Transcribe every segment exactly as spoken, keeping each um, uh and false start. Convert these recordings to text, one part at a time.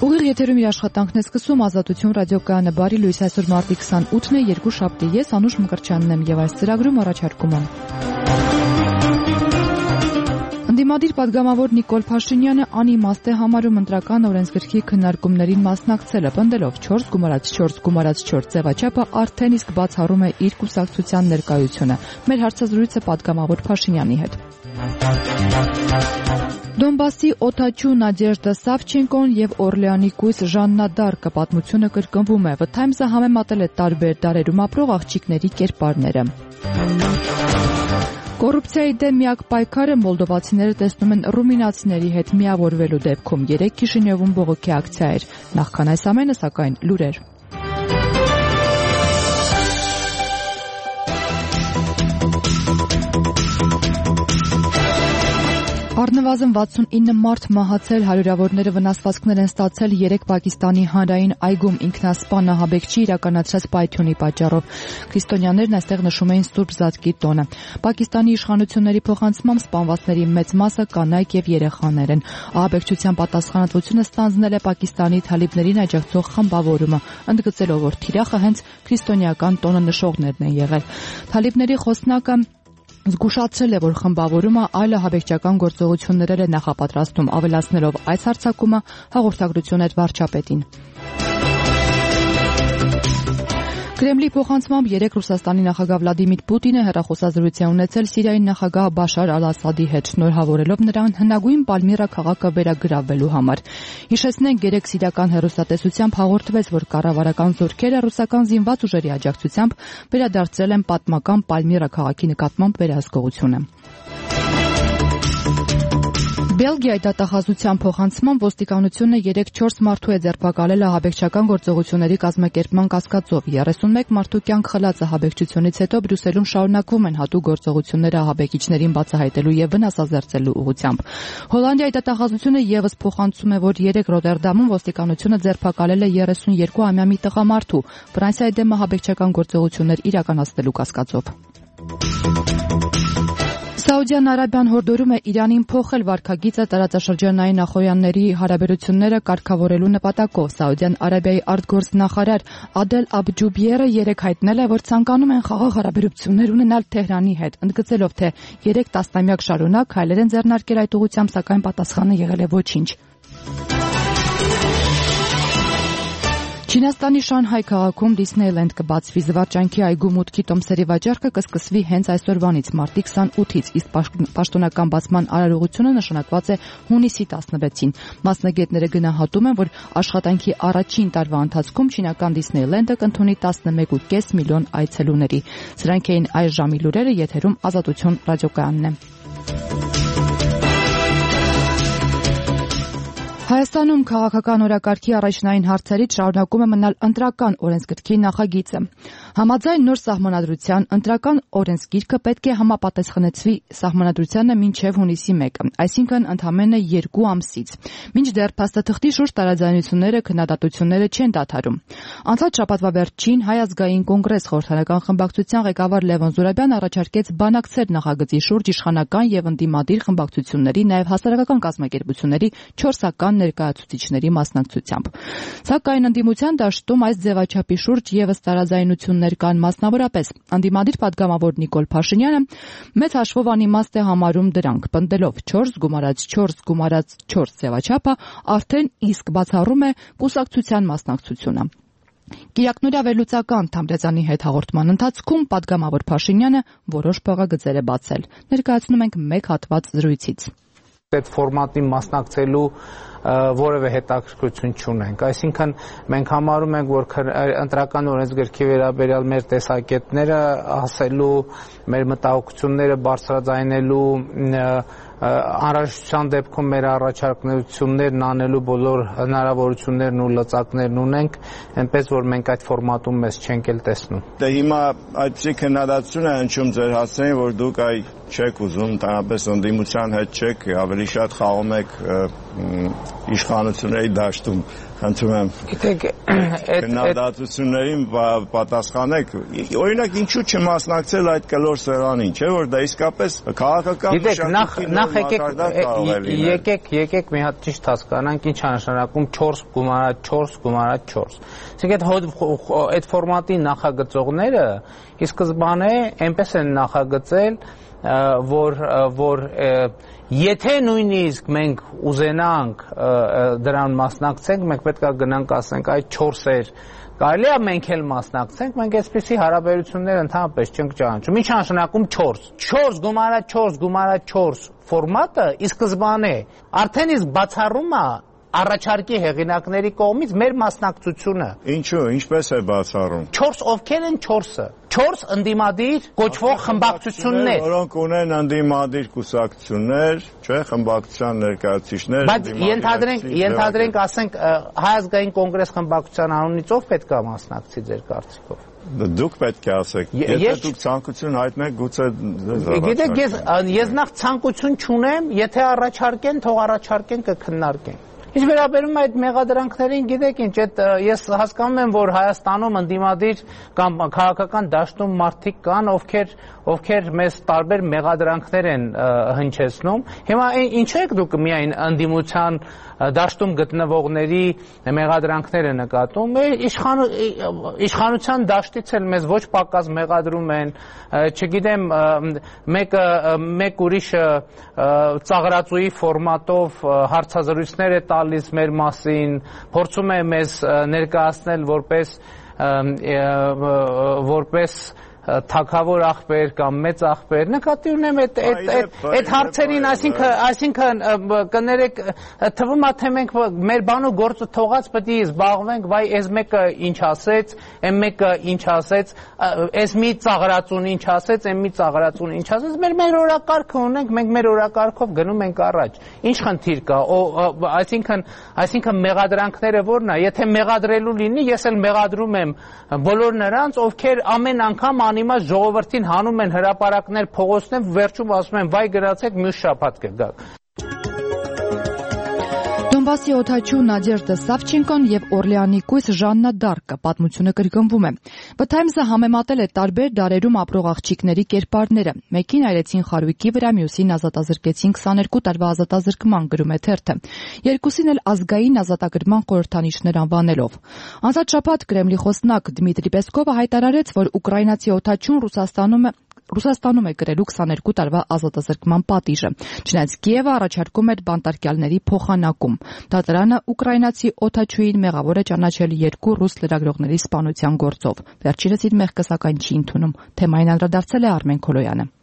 Ուղիղ եթերում իր աշխատանքն է սկսում Ազատություն ռադիոկայանը բարի լույս այսօր մարտի քսանութն է երկուշաբթի ես Անուշ Մկրտչյանն եմ եւ այս ծրագրում առաջարկում եմ Ընդդիմադիր պատգամավոր Նիկոլ Փաշինյանը անիմաստ է համարում ընտրական օրենսգրքի քննարկումներին մասնակցելը, պնդելով չորս գումարած չորս գումարած չորս ձևաչափը արդեն իսկ բացառում է իր կուսակցության ներկայությունը։ Մեր հարցազրույցը պատգամավոր Փաշինյանի հետ։ Դոնբասի օդաչու Նադեժդա Սավչենկոն եւ Օրլեանի կույս Ժաննա Դարկը պատմությունը կրկնվում է։ The Times-ը համեմատել է տարբեր դարերում ապրող աղջիկների կերպարները։ Կոռուպցիայի դեմ միակ պայքարը մոլդովացիները տեսնում են ռումինացիների հետ միավորվելու դեպքում։ Երեկ Քիշինևում բողոքի ակցիա էր։ Նախքան այս ամենը, սակայն, լուրեր։ Առնվազն վաթսունինը մարդ մահացել, հարյուրավորները վնասվածքներ են ստացել երեք Պակիստանի հանրային այգում ինքնասպան ահաբեկչի իրականացրած պայթյունի պատճառով։ Քրիստոնյաներն այստեղ նշում էին Սուրբ Զատկի տոնը։ Պակիստանի իշխանությունների փոխանցմամբ սպանվածների մեծ մասը կանայք եւ երեխաներ են։ Ահաբեկչության պատասխանատվությունը ստանձնել է Պակիստանի թալիբներին աջակցող խմբավորումը, ընդգծելով, որ թիրախը հենց քրիստոնեական տոնը նշողներն են եղել։ Թալիբների խոսնակը զգուշացրել է, որ խմբավորումը այլ ահաբեկչական գործողություններ է նախապատրաստում, ավելացնելով այս հարձակումը հաղորդագրություն էր վարչապետին։ Կրեմլի փոխանցմամբ երեկ Ռուսաստանի նախագահ Վլադիմիր Պուտինը հեռախոսազրույց է ունեցել Սիրիայի նախագահ Բաշար Ալ-Ասադի հետ, շնորհավորելով նրան հնագույն Պալմիրա քաղաքը վերագրավելու համար։ Հիշեցնենք, երեկ սիրիական հեռուստատեսությամբ հաղորդվեց, որ կառավարական զորքերը ռուսական զինված ուժերի աջակցությամբ վերադարձրել են պատմական Պալմիրա քաղաքի նկատմամբ վերահսկողությունը։ Բելգիայի դատախազության փոխանցման ոստիկանությունը երեկ չորս մարդու է ձերբակալել ահաբեկչական գործողությունների կազմակերպման կասկածով։ երեսունմեկ մարդու կյանք խլած ահաբեկչությունից հետո Բրյուսելում շարունակվում են հատուկ գործողությունները ահաբեկիչներին բացահայտելու եւ վնասազերծելու ուղղությամբ։ Հոլանդիայի դատախազությունը եւս փոխանցում է, որ երեկ Ռոտերդամում ոստիկանությունը ձերբակալել է երեսուներկուամյա մի տղամարդու Ֆրանսիայի դեմ ահաբեկչական գործողություններ իրականացնելու կասկածով։ Սաուդյան Արաբիան հորդորում է Իրանին փոխել վարքագիծը տարածաշրջանային նախոյանների հարաբերությունները կարգավորելու նպատակով։ Սաուդյան Արաբիայի արտգործնախարար Ադել Աբջուբիերը երեկ հայտնել է, որ ցանկանում են խաղաղ հարաբերություններ ունենալ Թեհրանի հետ, ընդգծելով, թե երեք տասնամյակ շարունակ քայլեր են ձեռնարկել այդ ուղղությամբ, սակայն պատասխանը եղել է ոչինչ։ Չինաստանի Շանհայ քաղաքում Դիսնեյլենդ կբացվի, զվարճանքի այգու մուտքի տոմսերի վաճառքը կսկսվի հենց այսօրվանից մարտի քսանութից, իսկ պաշտոնական բացման արարողությունը նշանակված է հունիսի տասնվեցին։ Մասնագետները գնահատում են, որ աշխատանքի առաջին տարվա ընթացքում չինական Դիսնեյլենդը կընդունի տասնմեկ կόμμα պենս միլիոն այցելուների։ Սրանք էին այս ժամի լուրերը, եթերում Ազատություն ռադիոկայանն է։ Հայաստանում քաղաքական օրակարգի առաջնային հարցերից շարունակում է մնալ ընտրական օրենսգրքի նախագիծը։ Համաձայն նոր սահմանադրության ընտրական օրենսգիրքը պետք է համապատասխանեցվի սահմանադրությանը մինչև հունիսի մեկը, այսինքն ընդամենը երկու ամսից։ Մինչդեռ փաստաթղթի շուրջ տարաձայնությունները, քննադատությունները չեն դադարում։ Անցած շաբաթվա վերջին Հայ ազգային կոնգրես խորհրդարանական խմբակցության ղեկավար Լևոն Զուրաբյանը առաջարկեց բանակցել նախագծի շուրջ իշխանական եւ ընդդիմադիր խմբակցությունների, նաեւ հասարակական կազմակերպությունների չորսական ներկայացուցիչների մասնակցությամբ։ Սակայն ընդդիմության դաշտում այս ձևաչափի շուրջ եւս տարաձայնություններ կան, մասնավորապես ընդդիմադիր պատգամավոր Նիկոլ Փաշինյանը մեծ հաշվով անիմաստ է համարում դրանք, պնդելով չորս գումարած չորս գումարած չորս ձևաչափը արդեն իսկ բացառում է կուսակցության մասնակցությունը։ Կիրակնորյա վերլուծական Թամրազյանի հետ հաղորդման ընթացքում պատգամավոր Փաշինյանը որոշ փողագծեր է բացել։ Ներկայացնում ենք մեկ հատված զրույցից։ Այդ ֆորմատին մասնակցելու որևէ հետաքրքրություն չունենք, այսինքն մենք համարում ենք, որ ընտրական օրենսգրքի վերաբերյալ մեր տեսակետները ասելու, մեր մտահոգությունները բարձրաձայնելու, անհրաժեշտության դեպքում մեր առաջարկություններն անելու բոլոր հնարավորություններն ու լծակներն ունենք, այնպես որ մենք այդ ֆորմատում մեզ չենք էլ տեսնում։ Դե հիմա այդպիսի քննադատություն է հնչում ձեր հասցեին, որ դուք այ չեք ուզում, ընդհանրապես ընդդիմության հետ չեք, ավելի շատ խաղում եք իշխանությունների դաշտում, խնդրում եմ։ Գիտեք, քննադատություններին պատասխանեք, օրինակ ինչու չմասնակցել այդ կլոր սեղանին, չէ՞ որ դա իսկապես քաղաքական մշակույթի մակարդակ կարող է լինել։ Եկեք, եկեք մի հատ ճիշտ հասկանանք ինչ է նշանակում չորս գումարած չորս գումարած չորս։ Այսինքն այդ ֆորմատի նախագծողները ի սկզբանե այնպես են նախագծել, որ որ եթե նույնիսկ մենք ուզենանք դրան մասնակցենք, մենք պետք է գնանք ասենք այդ չորսեր կարելի է մենք էլ մասնակցենք, մենք այսպիսի հարաբերություններ ընդհանրապես չենք ճանաչում։ Ինչ նշանակում չորս։ չորս գումարած չորս գումարած չորս ֆորմատը ի սկզբանե արդեն իսկ բացառում է առաջարկի հեղինակների կողմից մեր մասնակցությունը։ Ինչու, ինչպես է բացառում։ չորս ովքեր են չորսը։ չորս ընդդիմադիր կոչվող խմբակցություններ, որոնք ունեն ընդդիմադիր կուսակցություններ, չէ՞, խմբակցության ներկայացուցիչներ, բայց ենթադրենք, ենթադրենք, ասենք Հայ ազգային կոնգրես խմբակցության անունից ով պետք է մասնակցի ձեր կարծիքով։ Դուք պետք է ասեք, եթե դուք ցանկություն հայտնեք, գուցե Գիտեք, ես ես նախ ցանկություն չունեմ, եթե առաջարկեն, թող առաջարկեն, կքննարկենք։ Ինչ վերաբերում է այդ մեղադրանքներին, գիտեք ինչ, այդ ես հասկանում եմ, որ Հայաստանում ընդդիմադիր կամ քաղաքական դաշտում մարդիկ կան, ովքեր ովքեր մեզ տարբեր մեղադրանքներ են հնչեցնում։ Հիմա ինչու եք դուք միայն ընդդիմության դաշտում գտնվողների մեղադրանքները նկատում, իշխանության դաշտից էլ մեզ ոչ պակաս մեղադրում են, չգիտեմ, մեկը մեկ ուրիշը ծաղրածուի ֆորմատով հարցազրույցներ է տալիս մեր մասին, փորձում է մեզ ներկայացնել որպես որպես թագավոր աղբեր կամ մեծ աղբեր, նկատի ունեմ այդ այդ հարցերին, այսինքն այսինքն կներեք, թվում է թե մենք մեր բանու գործը թողած պետք է զբաղվենք, վայ այս մեկը ինչ ասեց, այն մեկը ինչ ասեց, այս մի ծաղրածուն ինչ ասեց, այն մի ծաղրածուն ինչ ասեց, մեր մեր օրակարգը ունենք, մենք մեր օրակարգով գնում ենք առաջ։ Ինչ խնդիր կա, այսինքն այսինքն մեղադրանքները որն է, եթե մեղադրելու լինի, ես էլ մեղադրում եմ բոլոր նրանց, ովքեր ամեն անգամ անիմաց ժողովրդին հանում են հրապարակներ փողոցներ, վերջում ասում են վայ գրացեք մյուս շաբաթ կգաք։ Դոնբասի օդաչու Նադեժդա Սավչենկոն եւ Օրլեանի կույս Ժաննա Դարկը պատմությունը կրկնվում է։ The Times-ը համեմատել է տարբեր դարերում ապրող աղջիկների կերպարները։ Մեկին այրեցին խարույկի վրա, մյուսին ազատազրկեցին քսաներկու տարվա ազատազրկման, գրում է թերթը։ Երկուսին էլ ազգային ազատագրման խորհրդանիշներ անվանելով։ Անցած շաբաթ Կրեմլի խոսնակ Դմիտրի Պեսկովը հայտարարեց, որ ուկրաինացի օդաչուն Ռուսաստանում է Ռուսաստանում է գրելու քսաներկու տարվա ազատազրկման պատիժը, չնայած Կիևը առաջարկում էր բանտարկյալների փոխանակում։ Դատարանը ուկրաինացի օդաչուին մեղավոր է ճանաչել երկու ռուս լրագրողների սպանության գործով։ Վերջինս իր մեղքը սակայն չի ընդունում։ Թեմային անդրադարձել է Արմեն Քոլոյանը։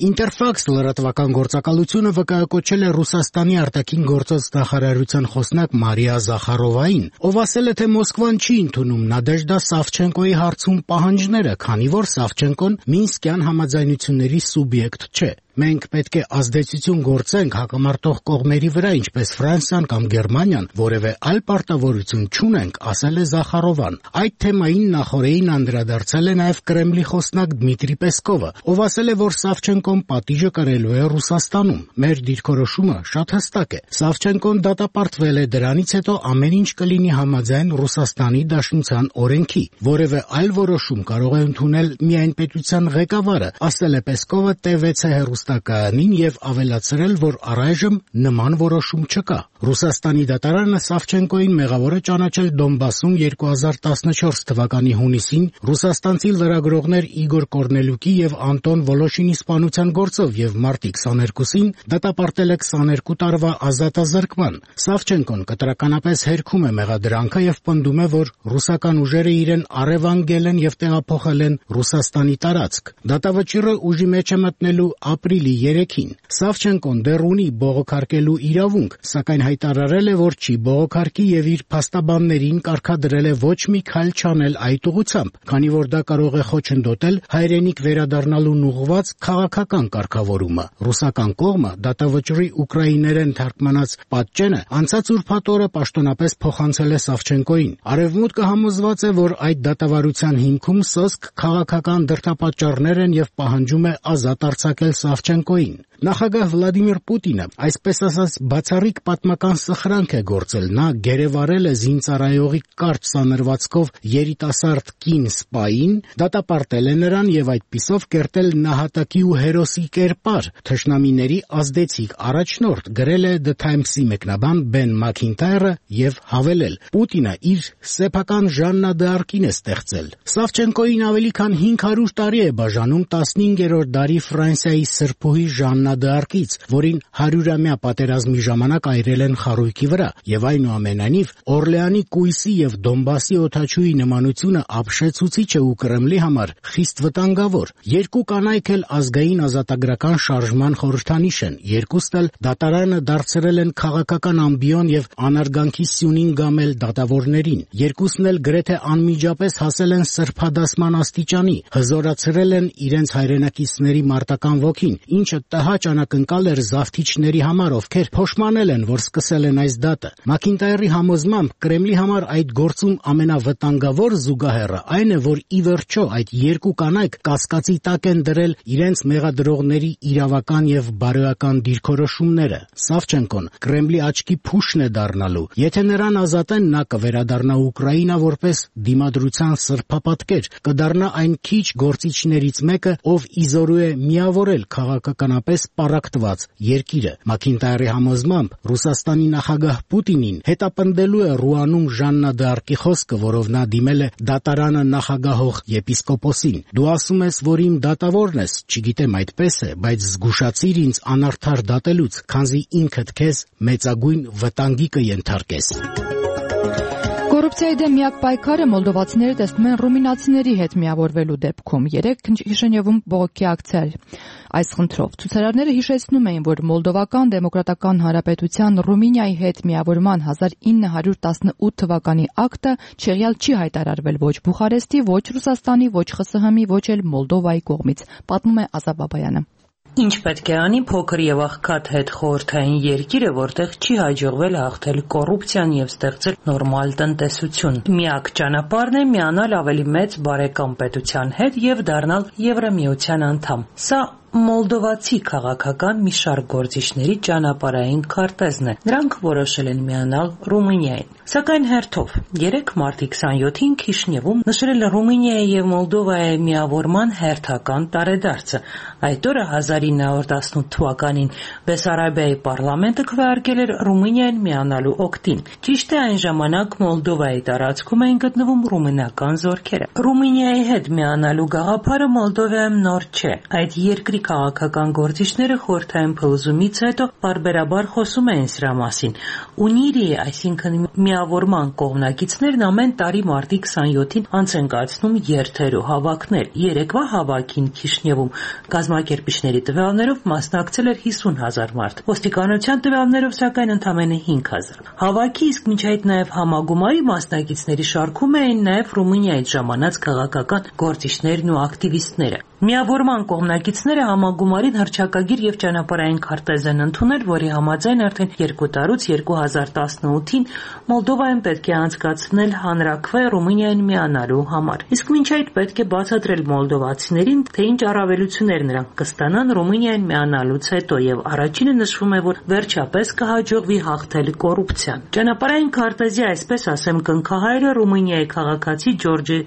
Interfax լրատվական գործակալությունը վկայակոչել է Ռուսաստանի արտաքին գործոց նախարարության խոսնակ Մարիա Զախարովային, ով ասել է, թե Մոսկվան չի ընդունում Նադեժդա Սավչենկոյի հարցում պահանջները, քանի որ Սավչենկոն Մինսկյան համաձայնությունների սուբյեկտ չէ։ Մենք պետք է ազդեցություն գործենք հակամարտող կողմերի վրա, ինչպես Ֆրանսիան կամ Գերմանիան, որևէ այլ պարտավորություն չունենք, ասել է Զախարովան։ Այդ թեմային նախորդին անդրադարձել է նաև Կրեմլի խոսնակ Դմիտրի Պեսկովը, ով ասել է, որ Սավչենկոն պատիժը կրելու է Ռուսաստանում։ Մեր դիրքորոշումը շատ հստակ է։ Սավչենկոն դատապարտվել է, դրանից հետո ամեն ինչ կլինի համաձայն Ռուսաստանի Դաշնության օրենքի։ Որևէ այլ որոշում կարող է ընդունել միայն պետության ղեկավարը, ասել է Պեսկովը Տե վեցը հեռուստակայանին եւ ավելացրել, որ առայժմ նման որոշում չկա։ Ռուսաստանի դատարանը Սավչենկոյին մեղավոր է ճանաչել Դոնբասում երկու հազար տասնչորս թվականի հունիսին ռուսաստանցի լրագրողներ Իգոր Կորնելյուկի եւ Անտոն Վոլոշինի սպանության գործով եւ մարտի քսաներկուսին դատապարտել է քսաներկու տարվա ազատազրկման։ Սավչենկոն կտրականապես հերքում է մեղադրանքը եւ պնդում է, որ ռուսական ուժերը իրեն առևանգել են եւ տեղափոխել են Ռուսաստանի տարածք։ Դատավճիռը ուժի մեջ է մտնելու ապրիլի երեքին։ Սավչենկոն դեռ ունի բողոքարկելու իրավունք, սակայն հայտարարել է, որ չի բողոքարկի եւ իր փաստաբաններին կարգադրել է ոչ մի քայլ չանել այդ ուղղությամբ, քանի որ դա կարող է խոչընդոտել հայրենիք վերադառնալուն ուղղված քաղաքական կարգավորումը։ Ռուսական կողմը դատավճռի ուկրաիներեն թարգմանած պատճենը անցած ուրբաթ օրը պաշտոնապես փոխանցել է Սավչենկոյին։ Արևմուտքը համոզված է, որ այդ դատավարության հիմքում սոսկ քաղաքական դրդապատճառներ են եւ պահանջում է ազատ արձակել Սավչենկոյին։ Նախագահ Վլադիմիր Պուտինը այսպես ասած բացառիկ պատմական սխրանք է գործել, նա գերեվարել է զինծառայողի կարճ սանրվածքով երիտասարդ կին սպային, դատապարտել է նրան եւ այդպիսով կերտել նահատակի ու հերոսի կերպար, թշնամիների ազդեցիկ առաջնորդ, գրել է The Times-ի մեկնաբան Բեն Մաքինտայրը եւ հավելել. Պուտինը իր սեփական Ժաննա դ'Արկին է ստեղծել։ Սավչենկոին ավելի քան հինգ հարյուր տարի է բաժանում տասնհինգերորդ դարի Ֆրանսիայի սրբուհի Ժաննա դ'Արկից, որին հարյուրամյա պատերազմի ժամանակ այրել են խարույկի վրա, եւ այնուամենայնիվ Օրլեանի կույսի եւ Դոնբասի օդաչուի նմանությունը ապշեցուցիչ է ու Կրեմլի համար խիստ վտանգավոր։ Երկու կանայք էլ ազգային ազատագրական շարժման խորհրդանիշ են, երկուսն էլ դատարանը դարձրել են քաղաքական ամբիոն եւ անարգանքի սյունին գամել դատավորներին, երկուսն էլ գրեթե անմիջապես հասել են սրբադասման աստիճանի, հզորացրել են իրենց հայրենակիցների մարտական ոգին, ինչը տհաճ անակնկալ էր զավթիչների համար, ովքեր փոշմանել են, որ սկսել են այս դատը։ Մաքինտայրի համոզմամբ Կրեմլի համար այդ գործում ամենավտանգավոր զուգահեռը այն է, որ ի վերջո այդ երկու կանայք կասկածի տակ են դրել իրենց մեղադրողների իրավական եւ բարոյական դիրքորոշումները։ Սավչենկոն Կրեմլի աչքի փուշն է դառնալու։ Եթե նրան ազատեն, նա կվերադառնա Ուկրաինա որպես դիմադրության սրբապատկեր, կդառնա այն քիչ գործիչներից մեկը, ով իզորու է միավորել քաղաքականապես պառակտված երկիրը։ Մաքինտայրի համոզմամբ Ռուսաստանի նախագահ Պուտինին հետապնդելու է Ռուանում Ժաննա դ'Արկի խոսքը, որով նա դիմել է դատարանը նախագահող եպիսկոպոսին։ Դու ասում ես, որ իմ դատավորն ես, չգիտեմ այդպես է, բայց զգուշացիր ինձ անարդար դատելուց, քանզի ինքդ քեզ մեծագույն վտանգի կենթարկես։ Կոռուպցիայի դեմ միակ պայքարը մոլդովացիները տեսնում են ռումինացիների հետ միավորվելու դեպքում։ Երեք Քիշինևում բողոքի ակցիա էր այս խնդրով։ Ցուցարարները հիշեցնում էին, որ Մոլդովական դեմոկրատական հանրապետության Ռումինիայի հետ միավորման հազար ինը հարյուր տասնութ թվականի ակտը չեղյալ չի հայտարարվել ոչ Բուխարեստի, ոչ Ռուսաստանի, ոչ ԽՍՀՄ-ի, ոչ էլ Մոլդովայի կողմից, պատմում է Ազատ Բաբայանը։ Ինչ պետք է անի փոքր եւ աղքատ հետ խորհրդային երկիրը, որտեղ չի հաջողվել հաղթել կոռուպցիան եւ ստեղծել նորմալ տնտեսություն։ Միակ ճանապարհն է միանալ ավելի մեծ բարեկամ պետության հետ եւ դառնալ Եվրամիության անդամ։ Սա Մոլդովացի քաղաքական մի շարք գործիչների ճանապարհային քարտեզն է։ Նրանք որոշել են միանալ Ռումինիային։ Սակայն հերթով երեք մարտի քսանյոթին Քիշինևում նշել Ռումինիայի եւ Մոլդովայի միավորման հերթական տարեդարձը։ Այդ օրը հազար ինը հարյուր տասնութ թվականին Բեսարաբիայի պարլամենտը քվեարկել էր Ռումինիային միանալու օգտին։ Ճիշտ է, այն ժամանակ Մոլդովայի տարածքում էին գտնվում ռումինական զորքերը։ Ռումինիայի հետ միանալու գաղափարը Մոլդովայում նոր չէ։ Այդ երկրի քաղաքական գործիչները խորհրդային փլուզումից հետո բարբերաբար խոսում էին սրա մասին։ Ունիրի, այսինքն միավորման կողմնակիցներն ամեն տարի մարտի քսանյոթին անց են կացնում երթեր ու հավաքներ։ Երեկվա հավաքին Քիշինևում կազմակերպիչների տվյալներով մասնակցել էր հիսուն հազար մարդ։ Ոստիկանության տվյալներով սակայն ընդամենը հինգ հազար։ Հավաքի իսկ մինչ այդ նաև համագումարի մասնակիցների շարքում էին նաև Ռումինիայից ժամանած քաղաքական գործիչներն ու ակտիվիստները։ Միավորման կողմնակիցները համագումարին հռչակագիր եւ ճանապարհային քարտեզ են ընդունել, որի համաձայն արդեն երկու տարուց երկու հազար տասնութին Մոլդովայում պետք է անցկացնել հանրաքվե Ռումինիային միանալու համար։ Իսկ մինչ այդ պետք է բացատրել մոլդովացիներին, թե ինչ առավելություններ նրանք կստանան Ռումինիային միանալուց հետո, եւ առաջինը նշվում է, որ վերջապես կհաջողվի հաղթել կոռուպցիան։ Ճանապարհային քարտեզի, այսպես ասեմ, կնքահայրը Ռումինիայի քաղաքացի Ջորջի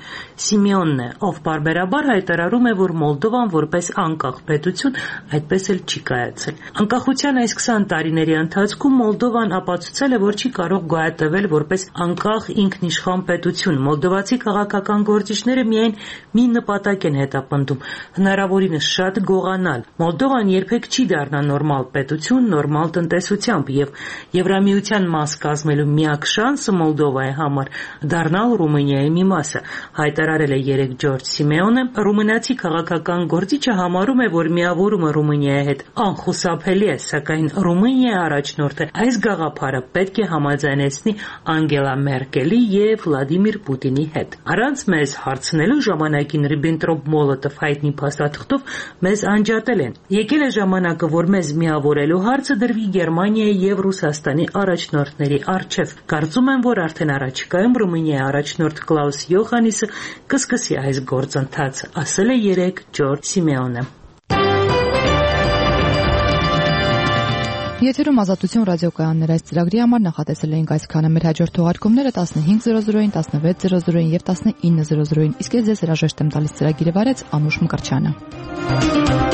Սիմեոնն է, ով բարբերաբար հայտարարում է, որ Մոլդովան որպես անկախ պետություն այդպես էլ չի կայացել։ Անկախության այս քսան տարիների ընթացքում Մոլդովան ապացուցել է, որ չի կարող գոյատևել որպես անկախ ինքնիշխան պետություն։ Մոլդովացի քաղաքական գործիչները միայն մի նպատակ են հետապնդում՝ հնարավորինս շատ գողանալ։ Մոլդովան երբեք չի դառնա նորմալ պետություն, նորմալ տնտեսությամբ, եւ Եվրամիության մաս կազմելու միակ շանսը Մոլդովայի համար դառնալ Ռումինիայի մի մասը, հայտարարել է երեք Ջորջ Սիմեոնը։ Ռումինացի քաղաքական գործիչը համարում է, որ միավորումը Ռումինիայի հետ անխուսափելի է, սակայն Ռումինիայի առաջնորդը այս գաղափարը պետք է համաձայնեցնի Անգելա Մերկելի եւ Վլադիմիր Պուտինի հետ։ Առանց մեզ հարցնելու ժամանակին Ռիբենտրոպ-Մոլոտով հայտնի փաստաթղթով մեզ անջատել են։ Եկել է ժամանակը, որ մեզ միավորելու հարցը դրվի Գերմանիայի եւ Ռուսաստանի առաջնորդների առջեւ։ Կարծում եմ, որ արդեն առաջիկայում Ռումինիայի առաջնորդ Կլաուս Յոխաննիսը կսկսի այս գործընթացը, ասել է երեք Ջորջ Սիմեոնը։ Եթերում Ազատություն ռադիոկայաններ այս ծրագրի համար նախատեսել էինք այսքանը։ Մեր հաջորդ թողարկումները տասնհինգ զրո զրոին, տասնվեց զրո զրոին եւ տասնինը զրո զրոին։ Իսկ ես ձեզ հրաժեշտ եմ տալիս ծրագիրը վարեց Անուշ Մկրտչյանը։